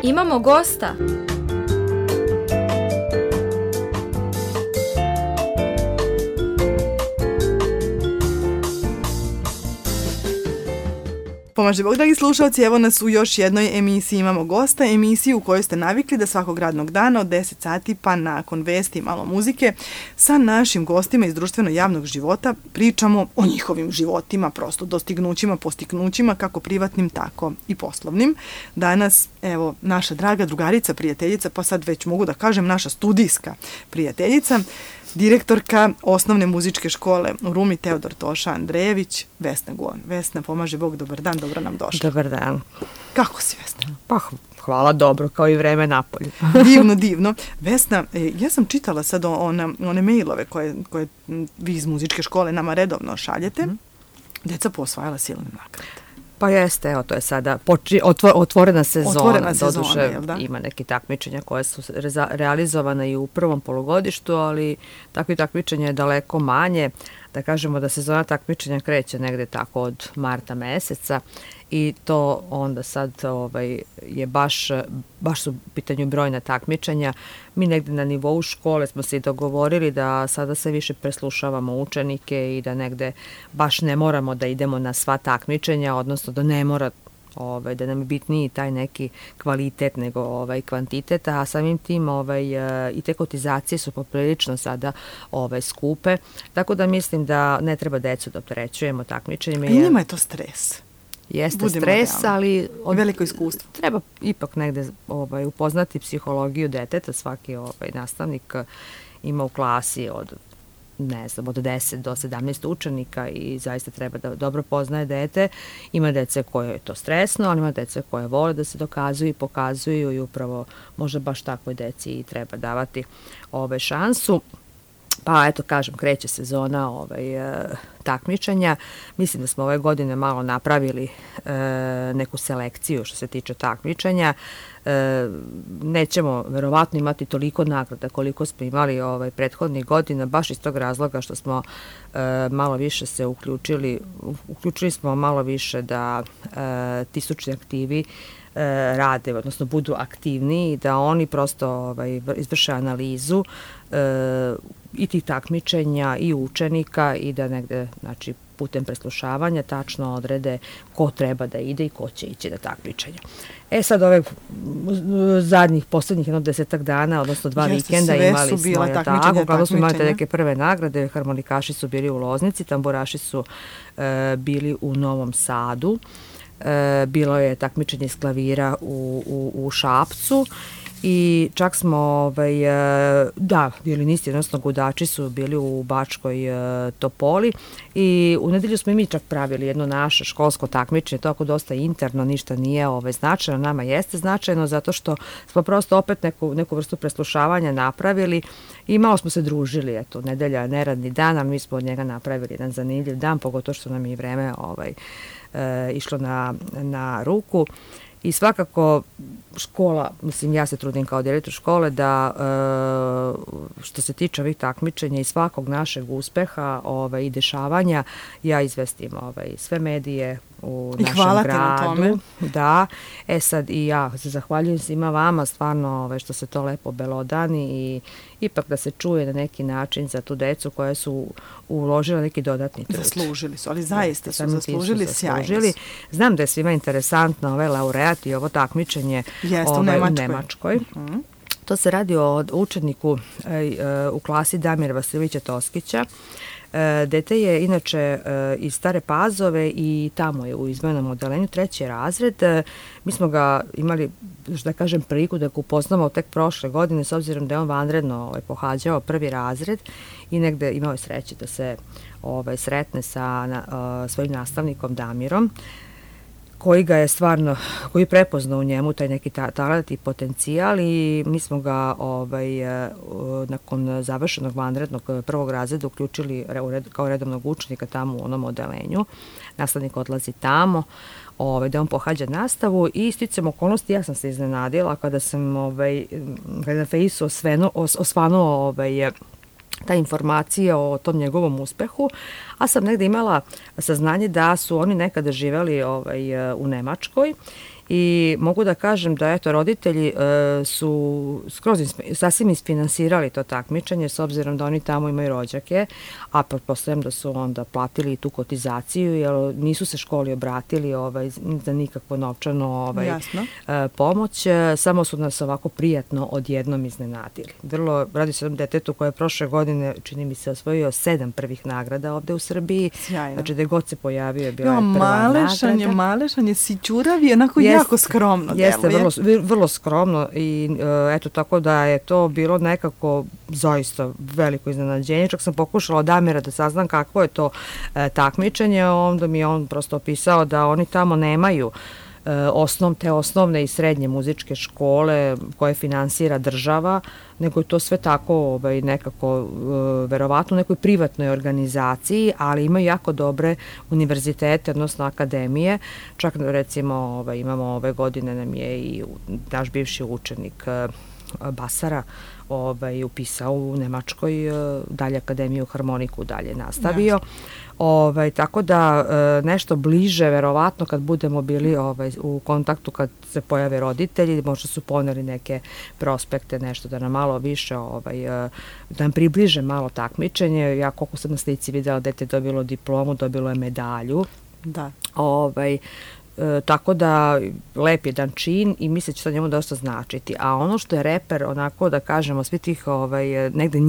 Imamo gosta. Pomaže Bog, dragi slušalci, evo nas u još jednoj emisiji Imamo gosta, emisiju u kojoj ste navikli da svakog radnog dana od 10 sati pa nakon vesti i malo muzike sa našim gostima iz društveno-javnog života pričamo o njihovim životima, prosto dostignućima, postignućima, kako privatnim, tako i poslovnim. Danas, evo, naša draga drugarica, prijateljica, pa sad već mogu da kažem naša studijska prijateljica, direktorka osnovne muzičke škole u Rumi Teodor Toša Andrejević, Vesna Guon. Vesna, pomaže Bog, dobar dan, dobro nam došla. Dobar dan. Kako si, Vesna? Pa hvala, dobro, kao i vreme napolju. Divno, divno. Vesna, ja sam čitala sad one mailove koje vi iz muzičke škole nama redovno šaljete. Deca posvajala silne nagrade. Pa jeste, evo, to je sada otvorena sezona, doduše ima neki takmičenja koje su realizovane i u prvom polugodištu, ali takvi takmičenja je daleko manje. Da kažemo da sezona takmičenja kreće negde tako od marta meseca i to onda sad je baš su u pitanju brojna takmičenja. Mi negde na nivou škole smo se i dogovorili da sada se više preslušavamo učenike i da negde baš ne moramo da idemo na sva takmičenja, odnosno da ne mora da nam je bitniji taj neki kvalitet nego kvantitet, a samim tim i te kotizacije su poprilično sada skupe, tako da mislim da ne treba decu da opterećujemo takmičenjima. I njima je to stres. Jeste budimo stres, ali veliko iskustvo. Treba ipak negde upoznati psihologiju deteta. Svaki nastavnik ima u klasi od 10 do 17 učenika i zaista treba da dobro poznaje dete. Ima dece koje je to stresno, ali ima dece koje vole da se dokazuju i pokazuju i upravo možda baš takvoj deci i treba davati šansu. Pa eto, kažem, kreće sezona takmičenja. Mislim da smo ove godine malo napravili neku selekciju što se tiče takmičenja. Nećemo verovatno imati toliko nagrada koliko smo imali prethodnih godina, baš iz tog razloga što smo malo više se uključili smo malo više da ti stručni aktivi rade, odnosno budu aktivniji, da oni prosto izvrše analizu i tih takmičenja i učenika i da negde, znači, putem preslušavanja tačno odrede ko treba da ide i ko će ići na takmičenja. Sad poslednjih 10 dana, odnosno 2 vikenda imali smo tako, kada smo imali neke prve nagrade, harmonikaši su bili u Loznici, tamburaši su bili u Novom Sadu, bilo je takmičenje iz klavira u Šapcu i čak smo, violinisti, odnosno gudači su bili u Bačkoj Topoli i u nedelju smo i mi čak pravili jedno naše školsko takmičenje, to ako dosta interno, ništa nije značajno, nama jeste značajno zato što smo prosto opet neku vrstu preslušavanja napravili i malo smo se družili, eto, nedelja je neradni dan, ali mi smo od njega napravili jedan zanimljiv dan, pogotovo što nam je i vreme išlo na ruku. I svakako škola, mislim, ja se trudim kao direktor škole da što se tiče ovih takmičenja i svakog našeg uspeha i dešavanja, ja izvestim sve medije u našem gradu. Hvala ti na tome. Da, sad i ja se zahvaljujem svima vama, stvarno što se to lepo belodani i ipak da se čuje na neki način za tu decu koja su uložila neki dodatni trud. Zaslužili su, ali zaista su zaslužili, sjajno su. Znam da je svima interesantno laureat i ovo takmičenje u Nemačkoj. To se radi o učeniku u klasi Damira Vasiljevića Toskića. Dete je inače iz Stare Pazove i tamo je u izmenjenom odelenju 3. razred. Mi smo ga imali, da kažem, priliku da ga upoznamo tek prošle godine, s obzirom da je on vanredno pohađao 1. razred i negde imao je sreće da se sretne sa svojim nastavnikom Damirom, koji ga je stvarno, koji je prepoznao u njemu taj neki talent i potencijal i mi smo ga nakon završenog vanrednog 1. razreda uključili kao redovnog učenika tamo u onom odelenju. Nastavnik odlazi tamo, da on pohađa nastavu i sticam okolnosti, ja sam se iznenadila kada sam na Fejsu osvanuo ta informacija o tom njegovom uspehu, a sam negde imala saznanje da su oni nekada živeli u Nemačkoj i mogu da kažem da eto roditelji su sasvim isfinansirali to takmičenje s obzirom da oni tamo imaju rođake, a pretpostavljam da su onda platili tu kotizaciju jer nisu se školi obratili za nikakvo novčano pomoć, samo su nas ovako prijatno odjednom iznenadili. Radi se o detetu koje je prošle godine, čini mi se, osvojio 7 prvih nagrada ovde u Srbiji. Sjajno. Znači da je god se pojavio bila je prva nagrada. Malešanje, sićurav je onako jako skromno. Jeste, vrlo skromno i eto tako da je to bilo nekako zaista veliko iznenađenje. Čak sam pokušala od Damira da saznam kakvo je to takmičenje, onda mi je on prosto opisao da oni tamo nemaju te osnovne i srednje muzičke škole koje finansira država, nego je to sve tako nekako verovatno u nekoj privatnoj organizaciji, ali imaju jako dobre univerzitete, odnosno akademije. Čak recimo imamo ove godine nam je i naš bivši učenik Basara upisao u Nemačkoj dalje akademiju harmoniku dalje nastavio. Tako da nešto bliže verovatno kad budemo bili u kontaktu kad se pojave roditelji, možda su poneli neke prospekte, nešto da nam malo više da nam približe malo takmičenje. Ja koliko sam na slici videla dete dobilo diplomu, dobilo je medalju. Da. Tako da lep jedan čin i mislim da će to njemu dosta značiti. A ono što je reper, onako da kažemo, svi tih negde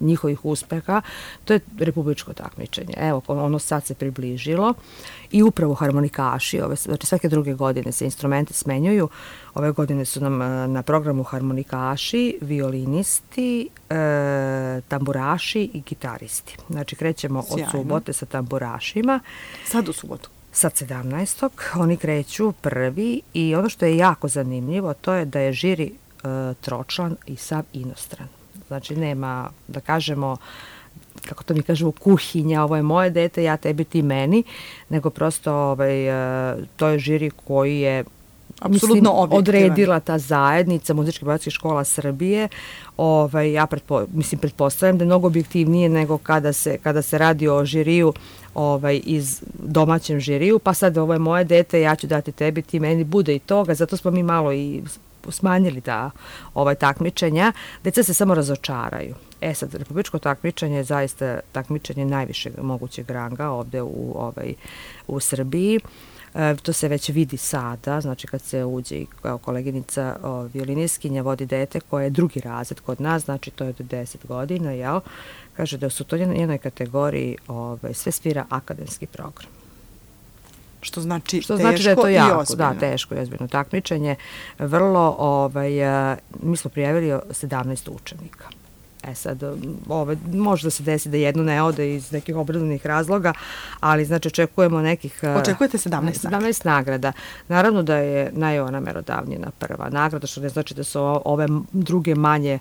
njihovih uspeha, to je republičko takmičenje. Evo, ono sad se približilo i upravo harmonikaši, znači svake druge godine se instrumenti smenjuju. Ove godine su nam na programu harmonikaši, violinisti, tamburaši i gitaristi. Znači krećemo od subote sa tamburašima. Sad u subotu. Sad 17. Oni kreću prvi i ono što je jako zanimljivo to je da je žiri tročlan i sav inostran. Znači nema, da kažemo, kako to mi kažemo, kuhinja, ovo je moje dete, ja tebi, ti meni, nego prosto to je žiri koji je apsolutno odredila ta zajednica muzičkih bratskih škola Srbije. Ja pretpostavljam da je mnogo objektivnije nego kada se radi o žiriju iz domaćem žiriju, pa sad ovo je moje dete, ja ću dati tebi, ti meni, bude i toga, zato smo mi malo i smanjili takmičenja. Deca se samo razočaraju. Sad, republičko takmičenje je zaista takmičenje najvišeg mogućeg ranga ovde u Srbiji. To se već vidi sada, znači kad se uđe i kao koleginica violiniskinja vodi dete koje je drugi razred kod nas, znači to je do 10 godina, jel? Kaže da su to jednoj kategoriji sve svira akademski program. Što znači da je to jako, da, teško i ozbiljno takmičenje. Vrlo, mi smo prijavili 17 učenika. Sad, može se desi da jedno ne ode iz nekih obrazovnih razloga, ali znači očekujemo nekih... Očekujete 17 nagrada. Naravno da je ona merodavnjena prva nagrada, što ne znači da su ove druge manje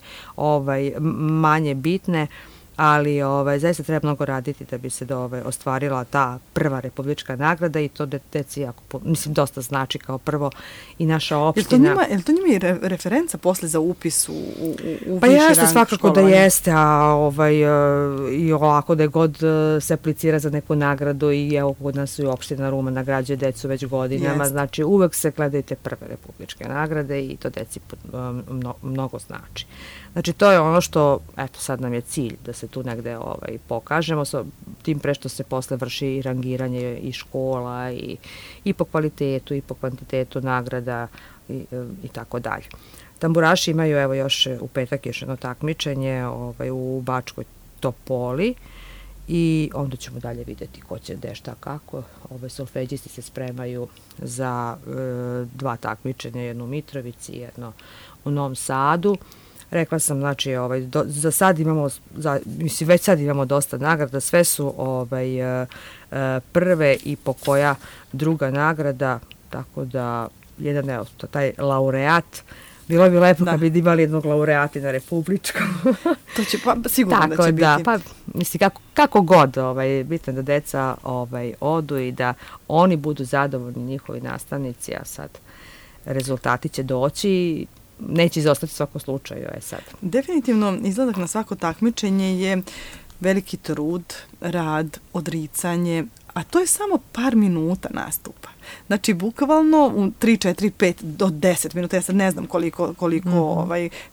bitne, ali zaista treba mnogo raditi da bi se ostvarila ta prva republička nagrada i to deci jako, dosta znači kao prvo i naša opština. Je li to njima i referenca posle za upis u viši rang? Pa jeste, svakako da jeste, a i ovako da je god se aplicira za neku nagradu i evo kod nas i opština Ruma nagrađuje decu već godinama, znači uvek se gledaju te prve republičke nagrade i to deci mnogo znači. Znači to je ono što, eto sad nam je cilj da se tu negde pokažemo, tim pre što se posle vrši i rangiranje i škola i po kvalitetu i po kvantitetu nagrada i tako dalje. Tamburaši imaju evo još u petak još jedno takmičenje u Bačkoj Topoli i onda ćemo dalje videti ko će gde šta kako. Solfeđisti se spremaju za 2 takmičenja, jedno u Mitrovici i jedno u Novom Sadu. Rekla sam, znači, za sad imamo, već sad imamo dosta nagrada, sve su prve i po koja druga nagrada, tako da taj laureat, bilo bi lepo kad bi imali jednog laureata na republičkom. To će sigurno da će biti. Pa mislim, kako god, bitno da deca odu i da oni budu zadovoljni, njihovi nastavnici, a sad rezultati će doći, neće izostati svako slučaju, sad. Definitivno, izlazak na svako takmičenje je veliki trud, rad, odricanje, a to je samo par minuta nastupa. Znači, bukvalno u 3, 4, 5 do 10 minuta, ja sad ne znam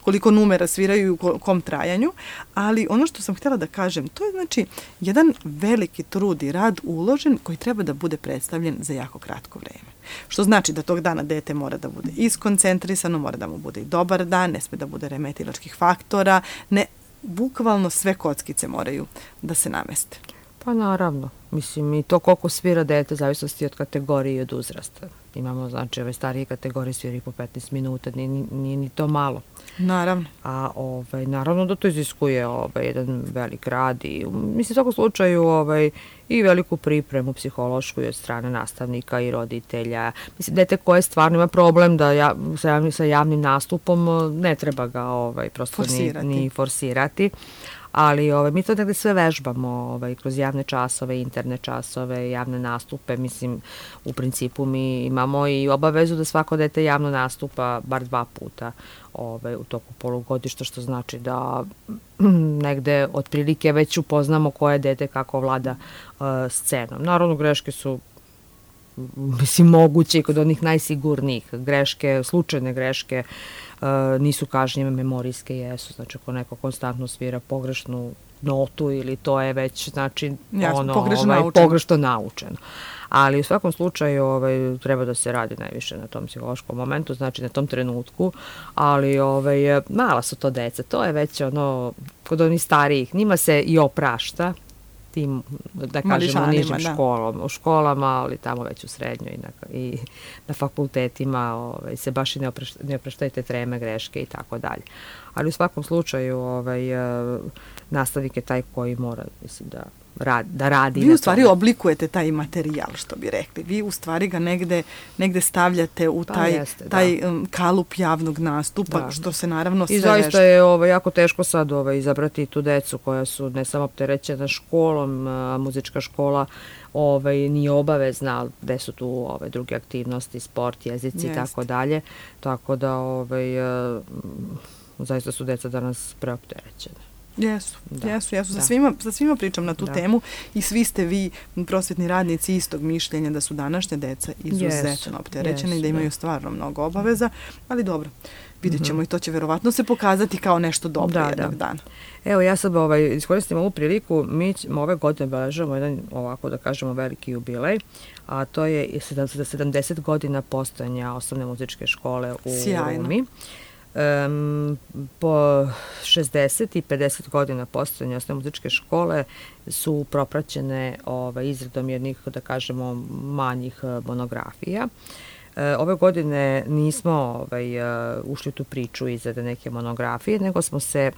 koliko numera sviraju i u kom trajanju, ali ono što sam htjela da kažem, to je znači jedan veliki trud i rad uložen koji treba da bude predstavljen za jako kratko vreme. Što znači da tog dana dete mora da bude iskoncentrisano, mora da mu bude i dobar dan, ne sme da bude remetilačkih faktora, bukvalno sve kockice moraju da se nameste. Pa naravno, mislim i to koliko svira dete zavisnosti od kategorije i od uzrasta. Imamo, znači, ove starije kategorije svira po 15 minuta, nije ni to malo. Naravno. A naravno da to iziskuje jedan velik rad i mislim u svakom slučaju i veliku pripremu psihološku i od strane nastavnika i roditelja. Mislim, dete koje stvarno ima problem da sa javnim nastupom ne treba ga prosto ni forsirati. Ali mi to negde sve vežbamo kroz javne časove, interne časove, javne nastupe. Mislim, u principu mi imamo i obavezu da svako dete javno nastupa bar 2 puta u toku polugodišta, što znači da negde otprilike već upoznamo koje dete kako vlada scenom. Naravno, greške su moguće i kod onih najsigurnijih. Greške, slučajne greške nisu kažnjive, memorijske jesu. Znači, ako neko konstantno svira pogrešnu notu ili to je već, znači, pogrešno naučeno. Ali u svakom slučaju treba da se radi najviše na tom psihološkom momentu, znači na tom trenutku, ali mala su to deca, to je već kod onih starijih, njima se i oprašta, tim, da kažemo, nižim školama, ali tamo već u srednjoj i na fakultetima se baš i ne opraštaju te treme, greške i tako dalje. Ali u svakom slučaju nastavnik je taj koji mora, mislim, da radi. Vi u stvari oblikujete taj materijal, što bi rekli. Vi u stvari ga negde stavljate u taj kalup javnog nastupa, što se naravno sve vežba. I zaista je jako teško sad izabrati tu decu koja su ne samo opterećena školom, muzička škola nije obavezna, gde su tu druge aktivnosti, sport, jezici i tako dalje. Tako da zaista su deca danas preopterećene. Jesu. Sa svima pričam na tu temu i svi ste vi prosvetni radnici istog mišljenja da su današnje deca izuzetno opterećene i da imaju stvarno mnogo obaveza, ali dobro, vidjet ćemo i to će verovatno se pokazati kao nešto dobro jednog dana. Evo, ja sad iskoristim ovu priliku, mi ove godine obeležavamo jedan, ovako da kažemo, veliki jubilej, a to je 70 godina postojanja osnovne muzičke škole u Rumi. Po 60 i 50 godina postojanja osnovne muzičke škole su propraćene izradom jednih, da kažemo, manjih monografija. Ove godine nismo ušli u tu priču izrade neke monografije,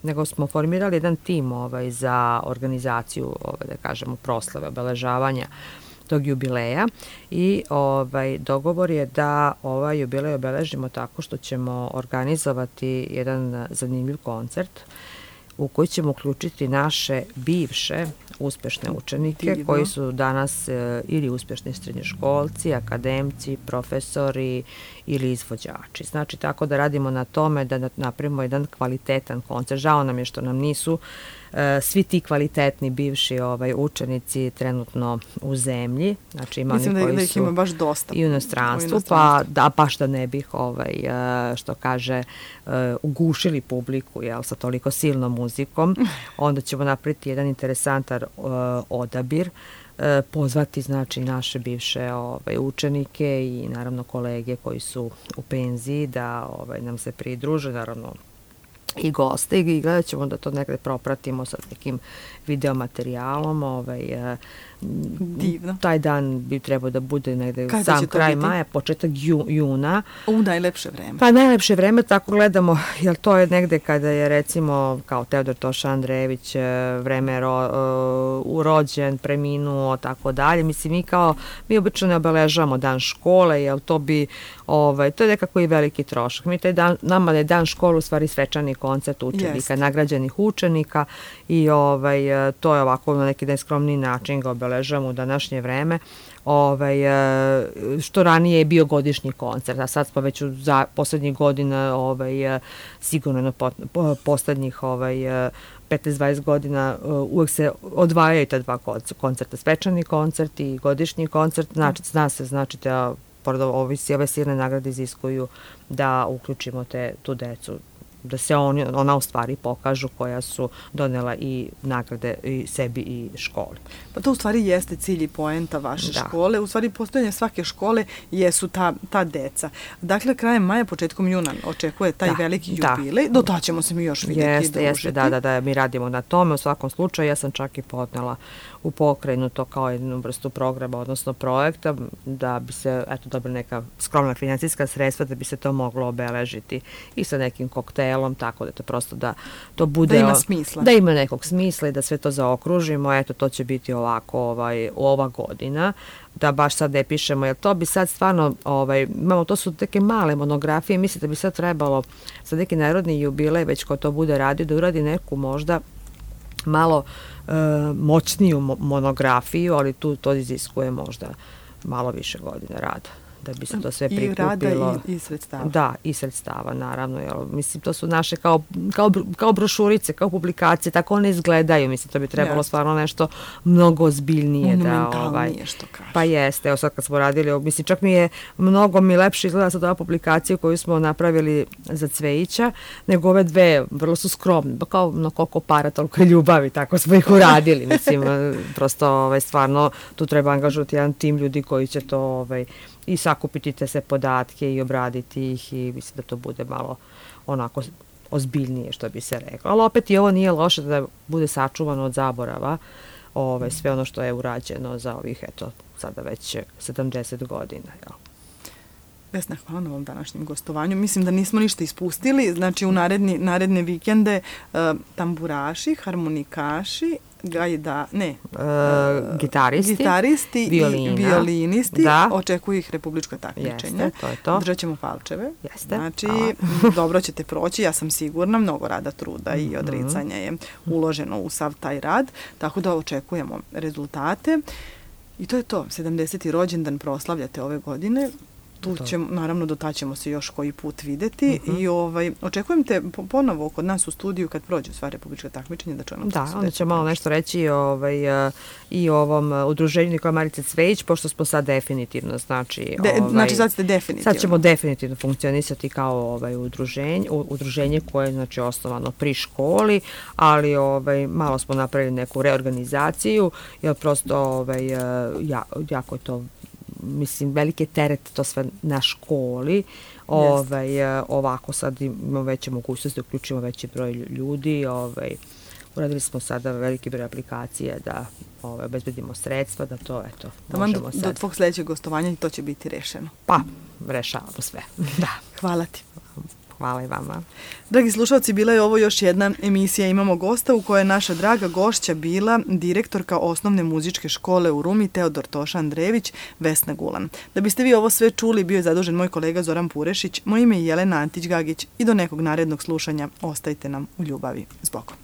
nego smo formirali jedan tim za organizaciju, da kažemo, proslave, obeležavanja tog jubileja i dogovor je da ovaj jubilej obeležimo tako što ćemo organizovati jedan zanimljiv koncert u koji ćemo uključiti naše bivše uspešne učenike koji su danas ili uspešni srednjoškolci, akademci, profesori ili izvođači. Znači, tako da radimo na tome da napravimo jedan kvalitetan koncert. Žao nam je što nam nisu svi ti kvalitetni bivši učenici trenutno u zemlji. Znači, mislim da ih ima baš dosta i u inostranstvu, pa da baš da ne bih što kaže ugušili publiku sa toliko silnom muzikom, onda ćemo napraviti jedan interesantan odabir, pozvati, znači, naše bivše učenike i naravno kolege koji su u penziji da nam se pridruže, naravno i goste, i gledat ćemo da to nekde propratimo sa nekim videomaterijalom. Divno. Taj dan bi trebao da bude negde sam kraj maja, početak juna. U najlepše vreme. Pa najlepše vreme, tako gledamo, jer to je negde kada je, recimo, kao Teodor Toša Andrejević vreme rođen, preminuo, tako dalje. Mislim, mi obično ne obeležavamo dan škole, jer to je nekako i veliki trošak. Nama je dan škole u stvari svečani koncert učenika, nagrađenih učenika i to je ovako na neki neskromniji način ga obeležavamo u današnje vreme, što ranije je bio godišnji koncert, a sad smo već za poslednjih godina sigurno poslednjih 15-20 godina uvek se odvajaju ta dva koncerta, svečani koncert i godišnji koncert, zna se, znači da pored ove silne nagrade iziskuju da uključimo tu decu, da se ona u stvari pokažu koja su donela i nagrade i sebi i školi. Pa to u stvari jeste cilj i poenta vaše škole. U stvari postojanje svake škole jesu ta deca. Dakle, krajem maja, početkom juna očekuje taj veliki jubilej. Do tada ćemo se mi još vidjeti i družiti. Jeste, da, mi radimo na tome. U svakom slučaju, ja sam čak i podnela u pokrajinu to kao jednu vrstu programa, odnosno projekta, da bi se, dobila neka skromna financijska sredstva, da bi se to moglo obeležiti i sa nekim koktelom, tako da to prosto da to bude... Da ima smisla. Da ima nekog smisla i da sve to zaokružimo. To će biti ovako ova godina, da baš sad ne pišemo, jer to bi sad stvarno, imamo, to su neke male monografije, mislim da bi sad trebalo za neki narodni jubilej, već ko to bude radio, da uradi neku možda malo moćniju monografiju, ali to iziskuje možda malo više godine rada, da bi se to sve prikupilo. I rada i sredstava. Da, i sredstava, naravno. Mislim, to su naše kao brošurice, kao publikacije, tako one izgledaju. Mislim, to bi trebalo stvarno nešto mnogo ozbiljnije. Monumentalnije, što kaže. Pa jeste, evo sad kad smo radili, mislim, čak mi je mnogo lepše izgleda sad ova publikacija koju smo napravili za Cvejića, nego ove dve, vrlo su skromne, kao na koliko para, toliko ljubavi, tako smo ih uradili. Mislim, prosto, stvarno, tu treba angažovati jedan tim ljudi koji će to, i sakupiti te sve podatke i obraditi ih i mislim da to bude malo onako ozbiljnije, što bi se reklo. Ali opet i ovo nije loše da bude sačuvano od zaborava sve ono što je urađeno za ovih, sada već 70 godina. Vesna, hvala na ovom današnjem gostovanju. Mislim da nismo ništa ispustili. Znači, u naredne vikende tamburaši, harmonikaši, gitaristi i violinisti. Očekuju ih republičko takmičenje. Jeste, to je to. Držat ćemo palčeve. Jeste. Znači, dobro ćete proći, ja sam sigurna, mnogo rada, truda i odricanja je uloženo u sav taj rad, tako da očekujemo rezultate. I to je to, 70. rođendan proslavljate ove godine. Naravno, do tada ćemo se još koji put videti i očekujem te ponovo kod nas u studiju kad prođe sva republička takmičenja da čujemo. Da, onda ćemo malo nešto reći i o ovom udruženju Nikola Marice Cvejić, pošto smo sad definitivno, znači sad ste definitivno. Sad ćemo definitivno funkcionisati kao udruženje koje je znači osnovano pri školi, ali malo smo napravili neku reorganizaciju, jer prosto jako je to, mislim, veliki teret to sve na školi. Ovako sad imamo veće mogućnosti da uključimo veći broj ljudi. Uradili smo sada veliki broj aplikacije da obezbedimo sredstva, da to možemo sad. Do tvog sljedećeg gostovanja to će biti rešeno. Pa, rešavamo sve. Da. Hvala ti. Hvala i vama. Dragi slušalci, bila je ovo još jedna emisija Imamo gosta u kojoj je naša draga gošća bila direktorka osnovne muzičke škole u Rumi Teodor Toša Andrejević, Vesna Gulan. Da biste vi ovo sve čuli, bio je zadužen moj kolega Zoran Purešić, moje ime je Jelena Antić-Gagić i do nekog narednog slušanja ostajte nam u ljubavi. S Bogom.